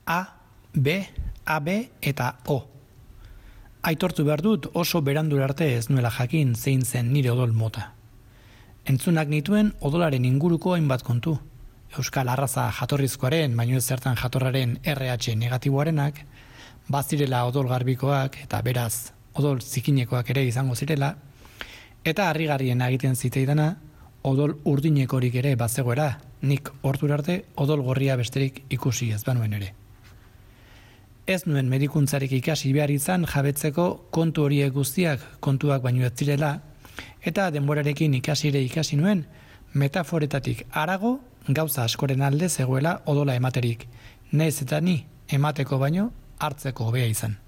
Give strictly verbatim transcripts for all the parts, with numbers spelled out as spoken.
A, B, A B eta O. Aitortu behar dut oso berandu arte ez nuela jakin zein zen nire odol mota. Entzunak nituen odolaren inguruko hainbat kontu. Euskal arraza jatorrizkoaren, baino ez zertan jatorraren R H negatiboarenak, bazirela odol garbikoak eta beraz odol zikinekoak ere izango zirela, eta harrigarrien egiten ziteidana odol urdinekorik ere bazegoera, nik ordura arte odol gorria besterik ikusi ez banuen ere. Ez nuen medikuntzarik ikasi behar izan jabetzeko kontu horiek guztiak kontuak baino ez zirela, eta denborarekin ikasire ikasi nuen metaforetatik harago gauza askoren alde zegoela odola ematerik, nahiz eta ni emateko baino hartzeko hobea izan.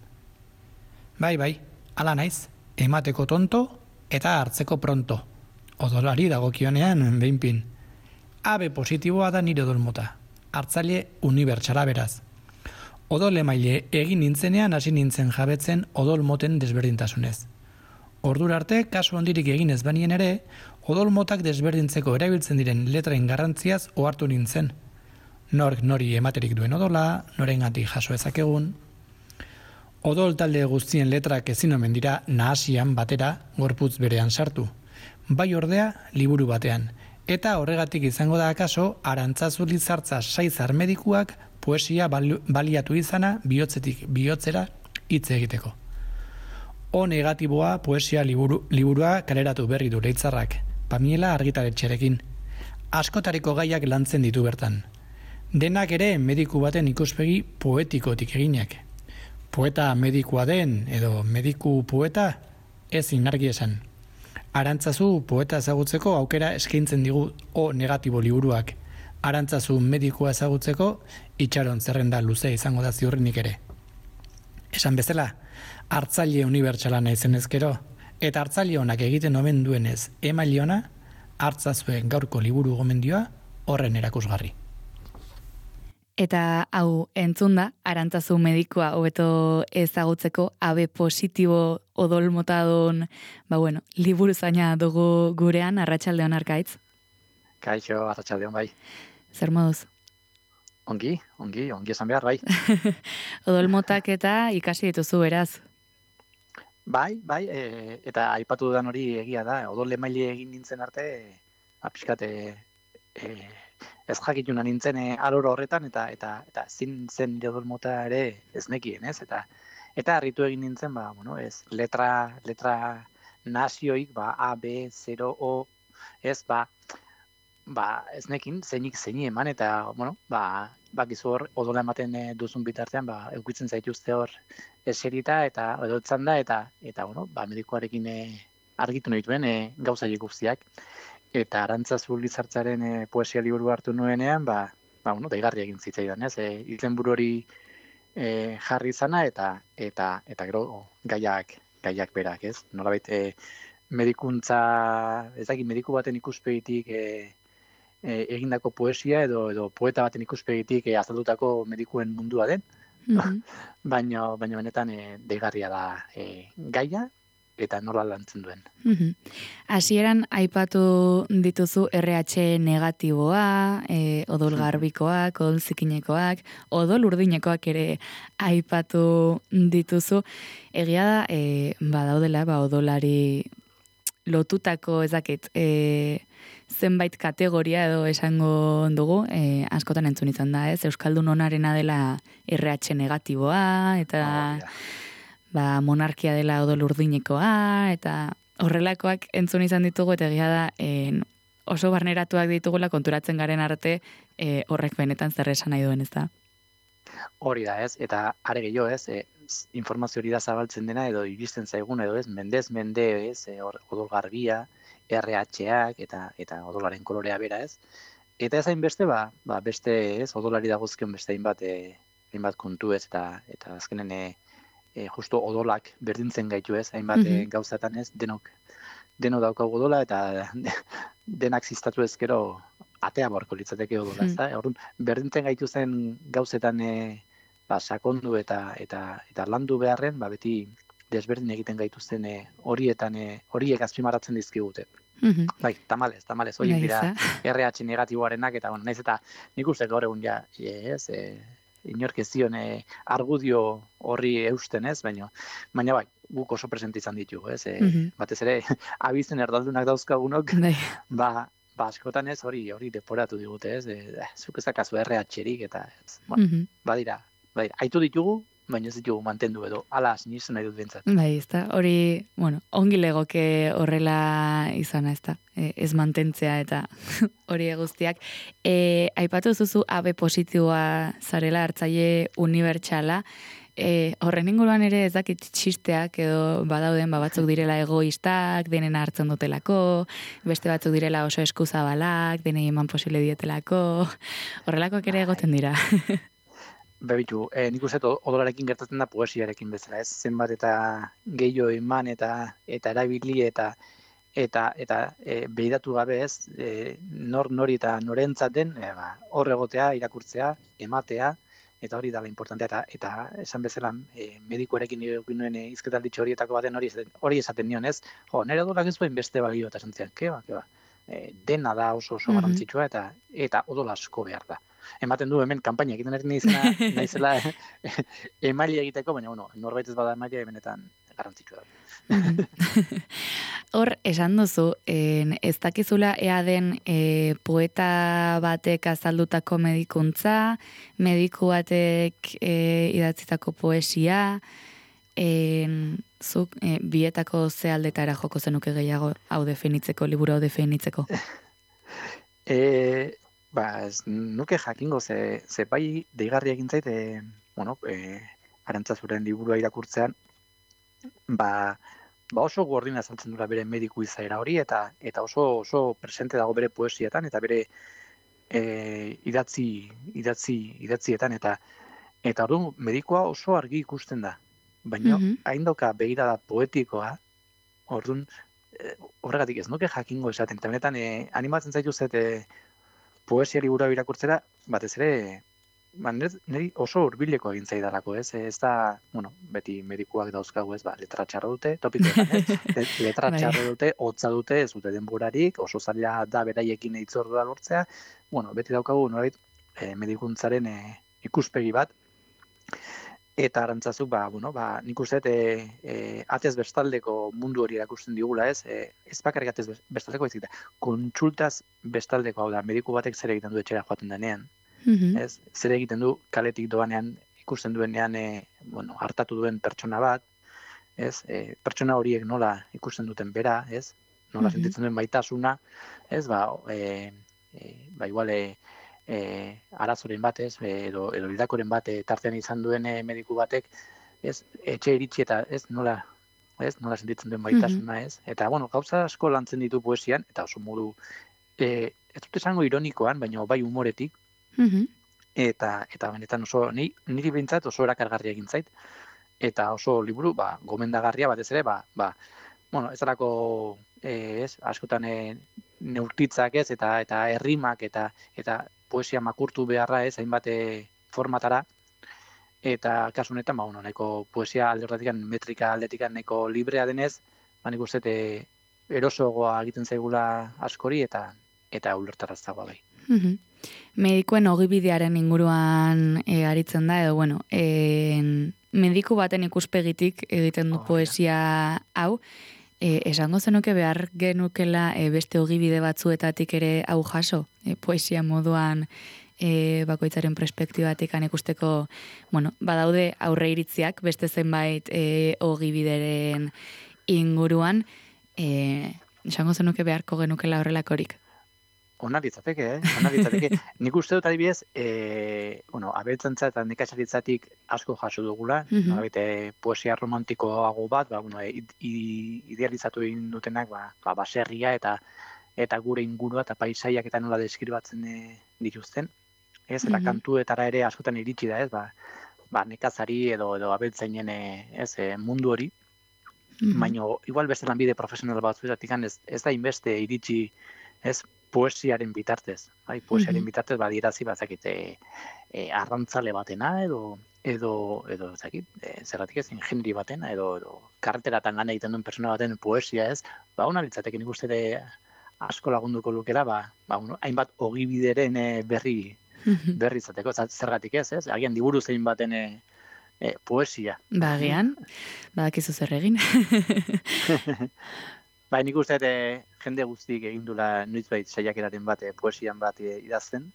Bai, bai, ala naiz, emateko tonto eta hartzeko pronto. Odolari dagokionean behinpin. A B positiboa da nire odol mota, hartzaile unibertsala beraz. Odol emaile egin nintzenean hasi nintzen jabetzen odol moten desberdintasunez. Ordura arte, kasu handirik egin ez banien ere, odol motak desberdintzeko erabiltzen diren letrain garrantziaz ohartu nintzen. Nork nori ematerik duen odola, norengatik jaso ezakegun. Odol talde guztien letrak ezin omen dira nahasian batera gorputz berean sartu. Bai ordea, liburu batean. Eta horregatik izango da akaso, Arantzazu Lizartza Saizar medikuak poesia baliatu izana bihotzetik bihotzera hitz egiteko. O negatiboa poesia liburu, liburua kaleratu berri du Leitzarrak, Pamiela argitaletxerekin. Askotariko gaiak lantzen ditu bertan. Denak ere mediku baten ikuspegi poetikotik eginak. Poeta medikua den edo mediku poeta ez inargi esan. Arantzazu poeta ezagutzeko aukera eskaintzen digu O negatibo liburuak. Arantzazu medikua ezagutzeko itxaron zerrenda luze izango da ziurrenik ere. Esan bezala, hartzaile unibertsala naizen ezkero, eta hartzaile honak egiten omen duenez emaile ona, hartzazuen gaurko liburu gomendioa horren erakusgarri. Eta hau entzunda, Arantzazu medikua hobeto ezagutzeko A B positibo odol motadon, ba bueno, liburu zaina dugu gurean, arratsaldeon Arkaitz. Kaixo, arratsaldeon bai. Zer moduz? Ongi, ongi, ongi esan behar bai. Odol motak eta ikasi dituzu beraz. Bai, bai, e, eta aipatu dudan hori egia da, odol emaile egin nintzen arte, apiskate e, ez jakituna nintzen e, aloro horretan, eta eta eta zin zen nire odol mota ere ez nekien, ez? Eta eta harritu egin nintzen, ba, bueno, ez, letra, letra nazioik, ba, A, B, zero, O, ez, ba, ba, ez nekin, zeinik zeini eman, eta, bueno, ba, bakizu hor, odola ematen e, duzun bitartean, ba, eukitzen zaituzte hor eserita, eta edotzen da, eta, eta, bueno, ba, medikoarekin e, argitu nahituen e, gauza guztiak. Eta Arantzazu Lizartzaren e, poesia liburu hartu nuenean, ba, ba, bueno, daigarri egin zitzaidan, ez? E, izenburu hori e, jarri izana, eta, eta, eta gero gaiak, gaiak berak, ez? Nolabait, e, medikuntza, ez dakit, mediku baten ikuspegitik e, e, egindako poesia edo edo poeta baten ikuspegitik e, azaldutako medikuen mundua den. Mm-hmm. baina, baina benetan e, deigarria da e, gaia eta nola lantzen duen. Mm-hmm. Hasieran aipatu dituzu R H negatiboa, e, odol garbikoak, odol zikinekoak, odol urdinekoak ere aipatu dituzu. Egia da, e, badaudela, ba, odolari lotutako ezakit, e, zenbait kategoria edo esango dugu, e, askotan entzun izan da, ez? Euskaldun onarena dela R H negatiboa, eta Oh, yeah. ba, monarkia dela odol urdinekoa, eta horrelakoak entzun izan ditugu, eta egia da, e, oso barneratuak ditugula konturatzen garen arte, e, horrek benetan zer esan nahi duen, ez da? Hori da, ez? Eta are gehiago, ez? E, informazio hori da zabaltzen dena, edo iristen zaigun, edo ez? Mendez, mende, ez? E, odol garbia, R H-ak, eta, eta odolaren kolorea bera, ez? Eta ez hainbeste, ba, ba, beste, ez? Odolari dagozkion beste hainbat, e, hainbat kontu, ez? Eta, eta azkenen, e, e, justo odolak berdintzen gaitu, ez? Hainbat mm-hmm. e, gauzatan, ez? Denok, denok daukagu odola, eta denak ziztatu ezkero atea borko litzateke odola, ez da? Orduan, berdintzen gaitu zen gauzetan e, ba, sakondu eta, eta, eta landu beharren, ba, beti desberdin egiten gaituzten e, horietan, e, horiek azpimarratzen dizkigute. Mm-hmm. Bai, tamales, tamales, horiek dira R H negatiboarenak, eta bueno, naiz eta nik uste gaur egun ja, ez, e, inork ez zion e, argudio horri eusten, ez, baina, baina bai, guk oso presente izan ditugu, ez, e, Mhm. batez ere, abizen erdaldunak dauzkagunok, Bai. ba, ba, askotan ez, hori, hori deporatu digute, ez, e, eh, zuk ezakazu erre hatxerik, eta, ez, bueno, Mhm. badira, badira, aitu ditugu, baina ez ditugu mantendu edo, ala, sinisten nahi dut bintzat. Bai, ezta, hori, bueno, ongi legoke horrela izana, ezta, e, ez mantentzea eta hori guztiak. E, aipatu zuzu A B positiboa zarela, hartzaile unibertsala, e, horren inguruan ere ez dakit txisteak edo badauden ba, batzuk direla egoistak, denen hartzen dutelako, beste batzuk direla oso eskuzabalak, denei eman posible dietelako, horrelakoak ere egoten dira. Bebitu, e, nik uste dut odolarekin gertatzen da poesiarekin bezala, ez zenbat eta gehiago eman eta eta erabili eta eta eta e, behiratu gabe ez, e, nor nori eta norentzaten e, ba, hor egotea, irakurtzea, ematea, eta hori dala importantea, eta, eta esan bezala e, medikuarekin nire nuen e, izketalditxo horietako baten hori esaten, hori esaten nion ez, jo, nire odolak ez duen beste balio eta esan zian, keba, keba, e, dena da oso oso Mhm. garrantzitsua eta eta odol asko behar da. Ematen du hemen kanpaina egiten ari naizela, naizela emaile egiteko, baina bueno, norbait ez bada emaile benetan garrantzitsua da. Mhm. Hor, esan duzu, en, ez dakizula ea den e, poeta batek azaldutako medikuntza, mediku batek e, idatzitako poesia, en, zuk e, bietako ze aldetara joko zenuke gehiago hau definitzeko, liburu hau definitzeko. E, ba, ez nuke jakingo ze, ze bai deigarri egin zait, e, bueno, e, Arantzazuren liburua irakurtzean, ba, ba oso gordina azaltzen dura bere mediku izaera hori, eta eta oso oso presente dago bere poesietan, eta bere e, idatzi, idatzi, idatzietan, eta eta orduan medikua oso argi ikusten da. Baina Mhm. hain dauka begirada poetikoa, orduan e, horregatik ez nuke jakingo esaten, eta benetan e, animatzen zaitu zet e, poesia liburu irakurtzera, batez ere, ba, niri oso hurbileko egin zaidalako, ez? Ez da, bueno, beti medikuak dauzkagu, ez, ba, letra txarra dute, topikoetan, ez? Letra Bai. txarra dute, hotza dute, ez dute denborarik, oso zaila da beraiekin eitzordua lortzea, bueno, beti daukagu, norbait, e, medikuntzaren e, ikuspegi bat, eta Arantzazuk, ba, bueno, ba, nik uste e, e, atez bestaldeko mundu hori erakusten digula, ez? E, ez bakarrik atez bestaldeko, ez da, kontsultaz bestaldeko, hau da, mediku batek zer egiten du etxera joaten denean, Mhm. ez? Zer egiten du kaletik doanean, ikusten duenean, e, bueno, hartatu duen pertsona bat, ez? E, pertsona horiek nola ikusten duten bera, ez? Nola Mhm. sentitzen duen baitasuna, ez? Ba, e, e, ba igual, e, e, arazoren bat, ez? E, edo, edo hildakoren bat e, tartean izan duen e, mediku batek, ez? Etxe iritsi eta, ez? Nola, ez? Nola sentitzen duen baitasuna, ez? Eta, bueno, gauza asko lantzen ditu poesian, eta oso modu, e, ez dut esango ironikoan, baina bai humoretik, Mhm. eta eta benetan oso ni niri behintzat oso erakargarria egin zait, eta oso liburu ba gomendagarria batez ere ba ba bueno, ez dalako eh, ez askotan e, neurtitzak ez eta eta errimak eta eta poesia makurtu beharra ez hainbat e, formatara, eta kasu honetan ba bueno, nahiko poesia alde horretatik metrika aldetik nahiko librea denez, ba nik uste e, erosoagoa egiten zaigula askori eta eta ulertaraztagoa bai. Mhm. Medikuen ogibidearen inguruan e, aritzen da, edo, bueno, e, mediku baten ikuspegitik egiten du Hori da. poesia hau, e, esango zenuke behar genukela e, beste ogibide batzuetatik ere hau jaso, e, poesia moduan e, bakoitzaren perspektibatik ikusteko, bueno, badaude aurre iritziak beste zenbait e, ogibideren inguruan, e, esango zenuke beharko genukela horrelakorik. Ona litzateke, eh? Ona litzateke. Nik uste dut adibidez, eh, bueno, abeltzantza eta nekazaritzatik asko jaso dugula, Mhm. nolabait eh, poesia romantikoago bat, ba bueno, i, i, idealizatu egin dutenak, ba, ba baserria eta eta gure ingurua eta paisaiak eta nola deskribatzen e, dituzten. Ez, eta Mhm. kantuetara ere askotan iritsi da, ez? Ba, ba nekazari edo edo abeltzainen e, ez, e, mundu hori. Mhm. Baina igual beste lanbide profesional batzuetatik ez, ez da inbeste iritsi, ez, poesiaren bitartez. Bai, poesiaren Mhm. bitartez badierazi bazakit e, e, arrantzale batena edo edo edo ezakit, e, zergatik ez ingenieri batena edo edo karreteratan lan egiten duen pertsona baten poesia, ez? Ba, ona litzateke nik uste de asko lagunduko lukela, ba, ba bueno, hainbat ogibideren e, berri berri izateko, zergatik ez, ez? Agian liburu zein baten e, e, poesia. Bagian, badakizu zer egin. Bai, nik uste e, jende guztik egin dula noizbait saiakeraren bat, e, poesian bat e, idazten,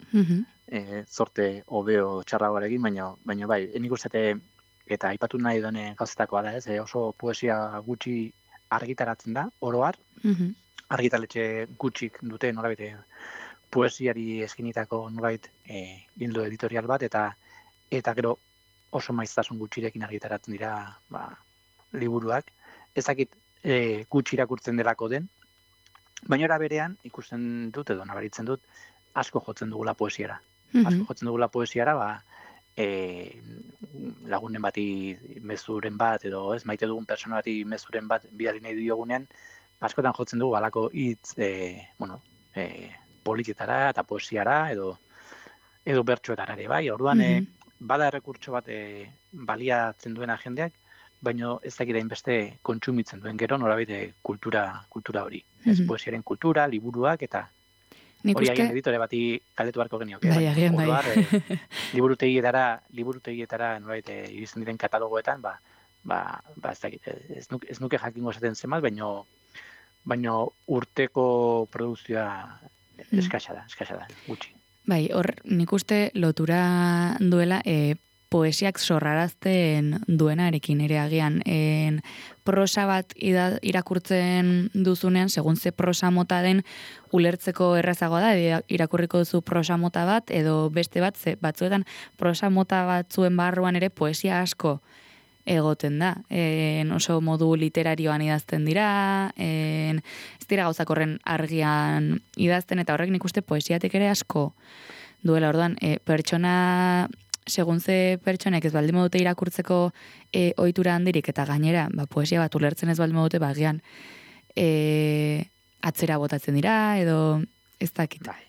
e, zorte hobeo txarragoarekin, baina, baina bai, nik uste e, eta aipatu nahi duen gauzetakoa da ez, e, oso poesia gutxi argitaratzen da, oroar, argitaletxe gutxik dute norabete poesiari eskinitako nolabait e, ildo editorial bat, eta eta gero oso maiztasun gutxirekin argitaratzen dira ba, liburuak. Ezakit e, gutxi irakurtzen delako den, baina era berean ikusten dut edo nabaritzen dut asko jotzen dugula poesiara. Mm-hmm. Asko jotzen dugula poesiara, ba, e, lagunen bati mezuren bat, edo ez maite dugun persona bati mezuren bat bidali nahi diogunean, askotan jotzen dugu alako hitz e, bueno, e, politiketara eta poesiara edo edo bertsoetara ere bai. Orduan mm-hmm. e, bada errekurtso bat e, baliatzen duena jendeak, baina ez dakit hainbeste kontsumitzen duen gero norabide kultura kultura hori. Mm-hmm. Ez poesiaren kultura, liburuak eta Nik hori uste... agian editore bati galdetu beharko genioke. Bai, agian bai. Orduan, e, liburutegietara, liburutegietara norabide iristen diren katalogoetan, ba, ba, ba ez dakit, ez nuke, ez nuke jakingo esaten zenbat, baina baina urteko produkzioa eskasa da, eskasa da, gutxi. Bai, hor nik uste lotura duela e, poesiak sorrarazten duenarekin ere agian. En, prosa bat ida, irakurtzen duzunean, segun ze prosa mota den, ulertzeko errazagoa da, irakurriko duzu prosa mota bat, edo beste bat, ze batzuetan prosa mota batzuen barruan ere poesia asko egoten da. En oso modu literarioan idazten dira, en, ez dira gauzak horren argian idazten, eta horrek nik uste poesiatik ere asko duela. Orduan, e, pertsona, segun ze pertsonek ez baldin modute irakurtzeko e, ohitura handirik, eta gainera, ba, poesia bat ulertzen ez baldin modute, ba, gian, e, atzera botatzen dira, edo ez dakit. Bai.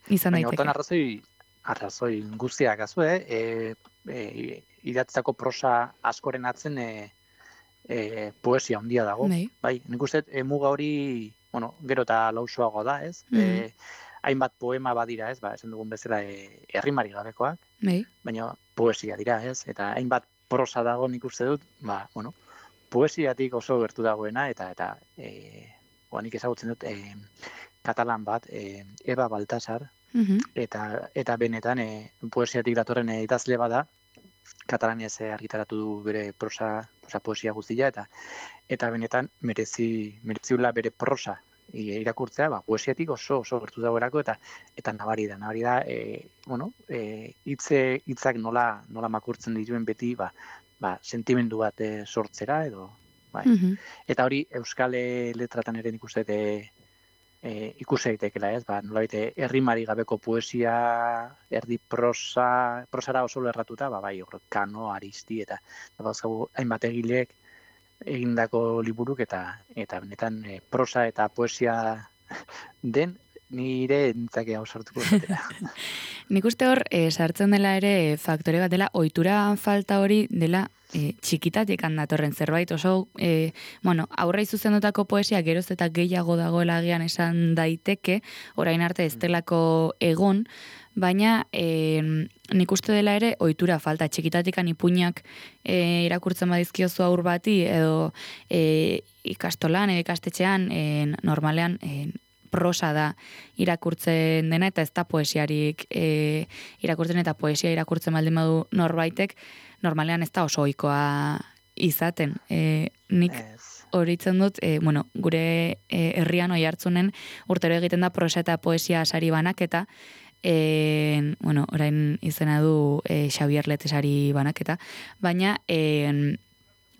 Izan daiteke. Baina hortan arrazoi, arrazoi guztiak azu, eh? E, e, idatzako prosa askoren atzen e, e, poesia handia dago. Bai. Bai, nik uste e, muga hori, bueno, gero eta lausoago da, ez? Mm -hmm. e, hainbat poema badira, ez? Ba, esan dugun bezala e, errimari gabekoak, bai. Baina poesia dira, ez? Eta hainbat prosa dago nik uste dut, ba, bueno, poesiatik oso gertu dagoena, eta, eta e, nik ezagutzen dut, e, katalan bat, e, Eba Baltasar, mm-hmm. eta, eta benetan e, poesiatik datorren e, idazle bada, katalanez argitaratu du bere prosa, prosa poesia guztia, eta eta benetan merezi mereziula bere prosa irakurtzea, ba, poesiatik oso oso gertu dagoerako, eta eta nabari da, nabari da, e, bueno, e, hitze hitzak nola nola makurtzen dituen beti, ba, ba sentimendu bat e, sortzera edo, bai. Mm-hmm. Eta hori euskal letratan ere nik uste e, e, ikusi daitekela, ez? Ba, nolabait errimari gabeko poesia, erdi prosa, prosara oso lerratuta, ba bai, hor Kano, Aristi eta dauzkagu hainbat egileek egindako liburuk, eta eta benetan e, prosa eta poesia den nire entzake hau sortuko zatera. Nik uste hor, e, sartzen dela ere faktore bat dela, ohitura falta hori dela e, txikitatik handatorren zerbait, oso, e, bueno, aurrei zuzendutako poesia geroz eta gehiago dagoela agian esan daiteke, orain arte ez delako egon, baina e, nik uste dela ere ohitura falta, txikitatikan ipuinak e, irakurtzen badizkiozu aur bati, edo e, ikastolan, edo ikastetxean, e, normalean, e, prosa da irakurtzen dena, eta ez da poesiarik e, irakurtzen, eta poesia irakurtzen baldin badu norbaitek, normalean ez da oso ohikoa izaten. E, nik horitzen dut, e, bueno, gure e, herrian oi hartzunen urtero egiten da prosa eta poesia sari banaketa, e, bueno, orain izena du e, Xabier Letesari banaketa, baina e,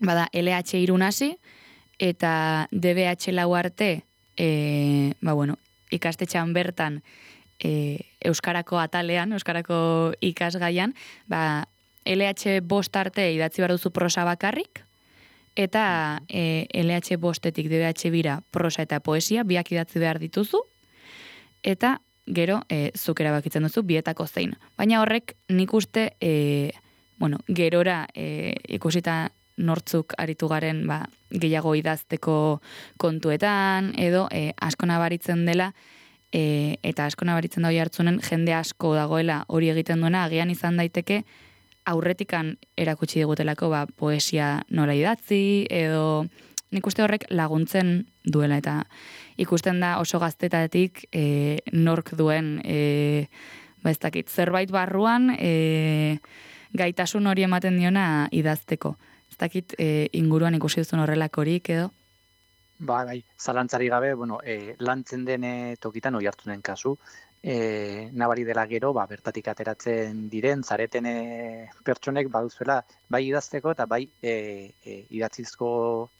bada L H irunasi eta D B H lau arte, E, ba bueno, ikastetxean bertan e, euskarako atalean, euskarako ikasgaian, ba L H bost arte idatzi behar duzu prosa bakarrik, eta e, L H bostetik D B H bira prosa eta poesia biak idatzi behar dituzu, eta gero e, zuk erabakitzen duzu bietako zein. Baina horrek nik uste e, bueno, gerora e, ikusita nortzuk aritu garen ba, gehiago idazteko kontuetan, edo e, asko nabaritzen dela e, eta asko nabaritzen da hori hartzunen, jende asko dagoela hori egiten duena, agian izan daiteke, aurretikan erakutsi digutelako ba, poesia nola idatzi, edo nik uste horrek laguntzen duela, eta ikusten da oso gaztetatik e, nork duen, e, ba ez dakit, zerbait barruan e, gaitasun hori ematen diona idazteko. Ez dakit e, inguruan ikusi duzun horrelakorik edo? Ba, bai, zalantzari gabe, bueno, e, lantzen den e, tokitan oi hartunen kasu, e, nabari dela gero, ba, bertatik ateratzen diren, zareten e, pertsonek baduzuela, bai idazteko eta bai e, e, idatzizko,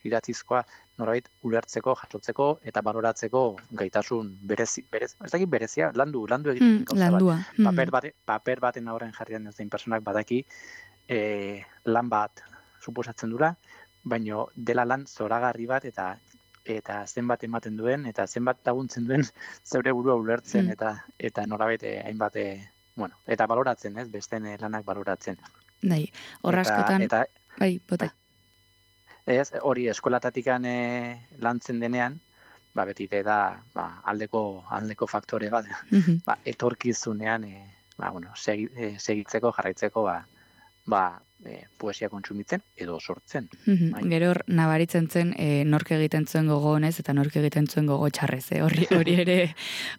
idatzizkoa norbait ulertzeko, jasotzeko eta baloratzeko gaitasun berezi, berez, ez dakit berezia, landu, landu egiten Hmm, gauza landua. bat. Hmm. Paper, bate, paper baten aurren jarrian ez den personak badaki e, lan bat suposatzen dura, baino dela lan zoragarri bat eta eta zenbat ematen duen, eta zenbat laguntzen duen zeure burua ulertzen, Hmm. eta eta nolabait eh, hainbat, eh, bueno, eta baloratzen, ez, besteen eh, lanak baloratzen. Bai, horra Eta, askotan, eta bai, bota. ez, hori eskolatatikan eh, lantzen denean, ba, beti ere da ba, aldeko, aldeko faktore bat, Mhm. ba, etorkizunean, eh, ba, bueno, segi, eh, segitzeko, jarraitzeko, ba, ba, eh, poesia kontsumitzen edo sortzen. Mhm. Bai. Gero hor nabaritzen zen e, nork egiten zuen gogo honez eta nork egiten zuen gogo txarrez. Eh? Hori, hori ere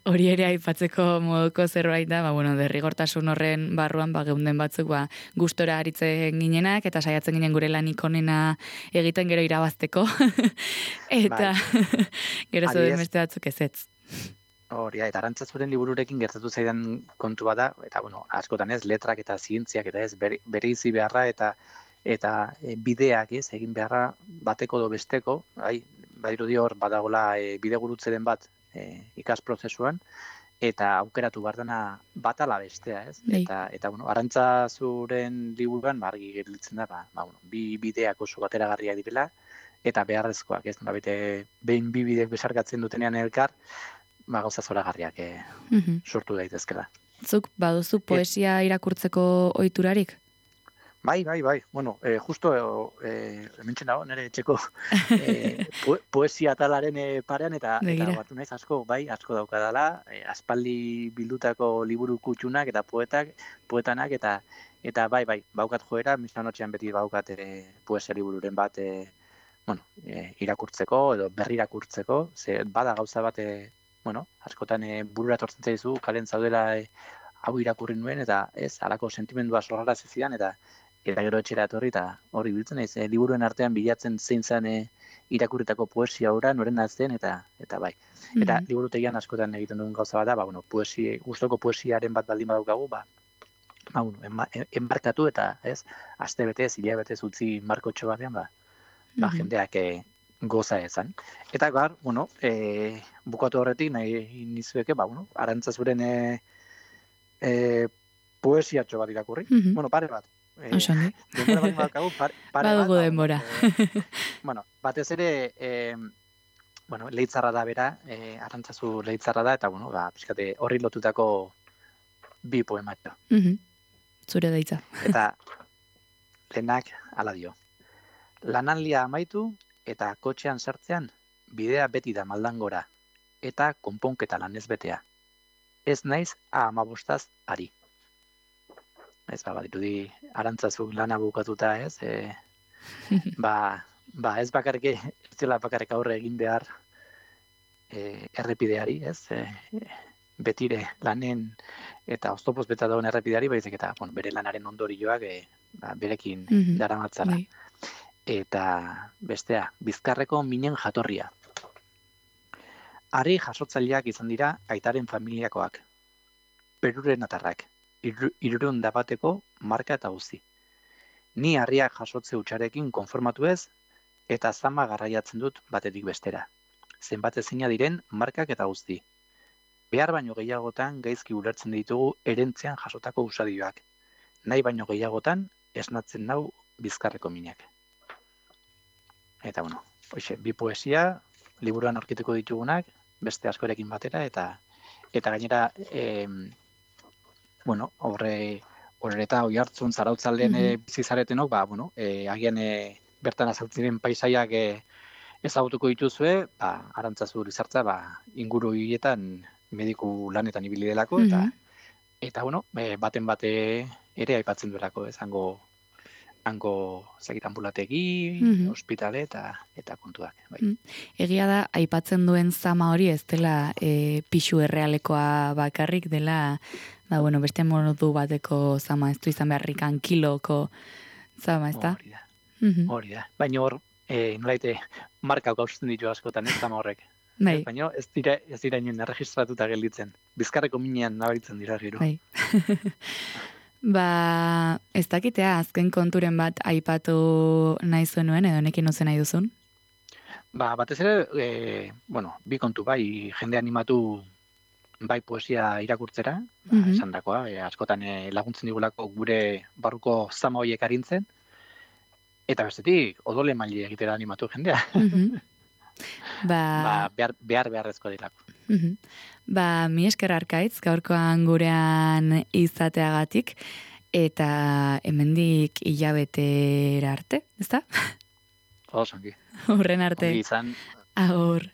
hori ere aipatzeko moduko zerbait da, ba, bueno, derrigortasun horren barruan ba, geunden batzuk ba, gustora aritzen ginenak eta saiatzen ginen gure lanik onena egiten gero irabazteko. Eta gero zoden Adibidez- beste batzuk ezetz. Hori da, eta Arantzazuren libururekin gertatu zaidan kontu bada, eta bueno, askotan ez, letrak eta zientziak eta ez, bere, bere izi beharra eta eta e, bideak ez, egin beharra bateko do besteko, bai, badirudi hor badagola e, bide gurutzeren bat e, ikas prozesuan, eta aukeratu behar dena bat ala bestea, ez? Bai. Eta, eta bueno, Arantzazuren liburuan argi gelditzen da, ba, ba, bueno, bi bideak oso bateragarriak direla, eta beharrezkoak, ez? Nolabait, behin bi bideak besarkatzen dutenean elkar, ba, gauza zoragarriak eh, Mhm. sortu daitezkela. Zuk baduzu poesia irakurtzeko ohiturarik? Bai, bai, bai. Bueno, eh, justo eh, hementxe dago, nire etxeko eh, po poesia talaren eh, parean, eta, Begira. eta batu naiz asko, bai, asko daukadala, eh, aspaldi bildutako liburu kutxunak eta poetak, poetanak, eta eta bai, bai, baukat joera, mislanotxean beti baukat ere poesia libururen bat, eh, bueno, eh, irakurtzeko edo berri irakurtzeko, ze bada gauza bat, eh, bueno, askotan e, burura tortzen zaizu, kalen zaudela e, hau irakurri nuen, eta ez, halako sentimendua sorrara zidan, eta eta gero etxera etorri, eta hori biltzen naiz, e, liburuen artean bilatzen zein zen e, irakurritako poesia ora, noren azten, eta eta bai. Eta Mhm. liburutegian askotan egiten duen gauza bat da, ba, bueno, poesia, gustoko poesiaren bat baldin badaukagu, ba, ba, bueno, enba, enbarkatu eta, ez, aste betez, hilabetez utzi markotxo batean, ba, ba, Mhm. jendeak e, goza ezan. Eta gar, bueno, e, bukatu horretik nahi nizueke, ba, bueno, Arantzazuren e, e, poesiatxo bat irakurri. Mhm. Bueno, pare bat. E, Oso ongi. denbora bat badaukagu, pare, pare bat. Badugu ba, denbora. Bueno, e, bueno, batez ere, e, bueno, leitzarra da bera, e, Arantzazu leitzarra da, eta, bueno, ba, pixkate, horri lotutako bi poematxo. Mhm. Zure daitza. Eta lehenak hala dio. Lanaldia amaitu eta kotxean sartzean, bidea beti da maldangora, eta konponketa lanez betea. Ez naiz a amabostaz ari. Ez, ba, badirudi Arantzazu lana bukatuta, ez? E, ba, ba, ez bakarrik, ez dela bakarrik aurre egin behar e, errepideari, ez? E, betire lanen eta oztopoz beta dagoen errepideari, baizik eta, bueno, bere lanaren ondorioak e, ba, berekin Mhm. daramatzala. Bai. Eta bestea, Bizkarreko minen jatorria. Harri jasotzaileak izan dira aitaren familiakoak. Peruren atarrak, hirurehun da bateko marka eta guzti. Ni harriak jasotze hutsarekin konformatu ez, eta zama garraiatzen dut batetik bestera. Zenbat ezina diren markak eta guzti. Behar baino gehiagotan gaizki ulertzen ditugu erentzean jasotako usadioak. Nahi baino gehiagotan esnatzen nau Bizkarreko minak. Eta, bueno, hoxe, bi poesia, liburuan aurkituko ditugunak, beste askorekin batera, eta eta gainera, e, bueno, horre, horre eta hoi hartzun zarautzalden Mhm. e, bizi zaretenok, ba, bueno, e, agian e, bertan azaltzen paisaiak e, ezagutuko dituzue, ba, Arantzazu Lizartza, ba, inguru hietan mediku lanetan ibili delako, eta, Mhm. eta bueno, e, baten bate ere aipatzen duelako, ez, hango, hango zekit ambulategi, Mhm. ospitale, eta, eta kontuak, bai. Mm. Egia da, aipatzen duen zama hori ez dela e, pixu errealekoa bakarrik dela, ba, bueno, beste modu bateko zama, ez du izan beharrikan kiloko zama, ez da? Hori da, Mhm. hori da. Baina hor, e, nolaite, markak hausten ditu askotan, ez zama horrek. Bai, Ez, baina ez dira, ez dira inoen erregistratuta gelditzen. Bizkarreko minean nabaritzen dira gero. bai. Ba, ez dakitea, azken konturen bat aipatu nahi zuen, edo nekin ozen nahi duzun? Ba, batez ere, e, bueno, bi kontu bai, jende animatu bai poesia irakurtzera, ba, Mhm. esan dakoa, e, askotan e, laguntzen digulako gure barruko zama horiek arintzen, eta bestetik, odole maili egitera animatu jendea. Mhm. Ba, Ba, behar, behar beharrezko dirako. mhm. Ba, mi esker arkaitz, gaurkoan gurean izateagatik, eta hemendik hilabetera arte, ezta? Osongi. Horren arte, Ongi izan, agur.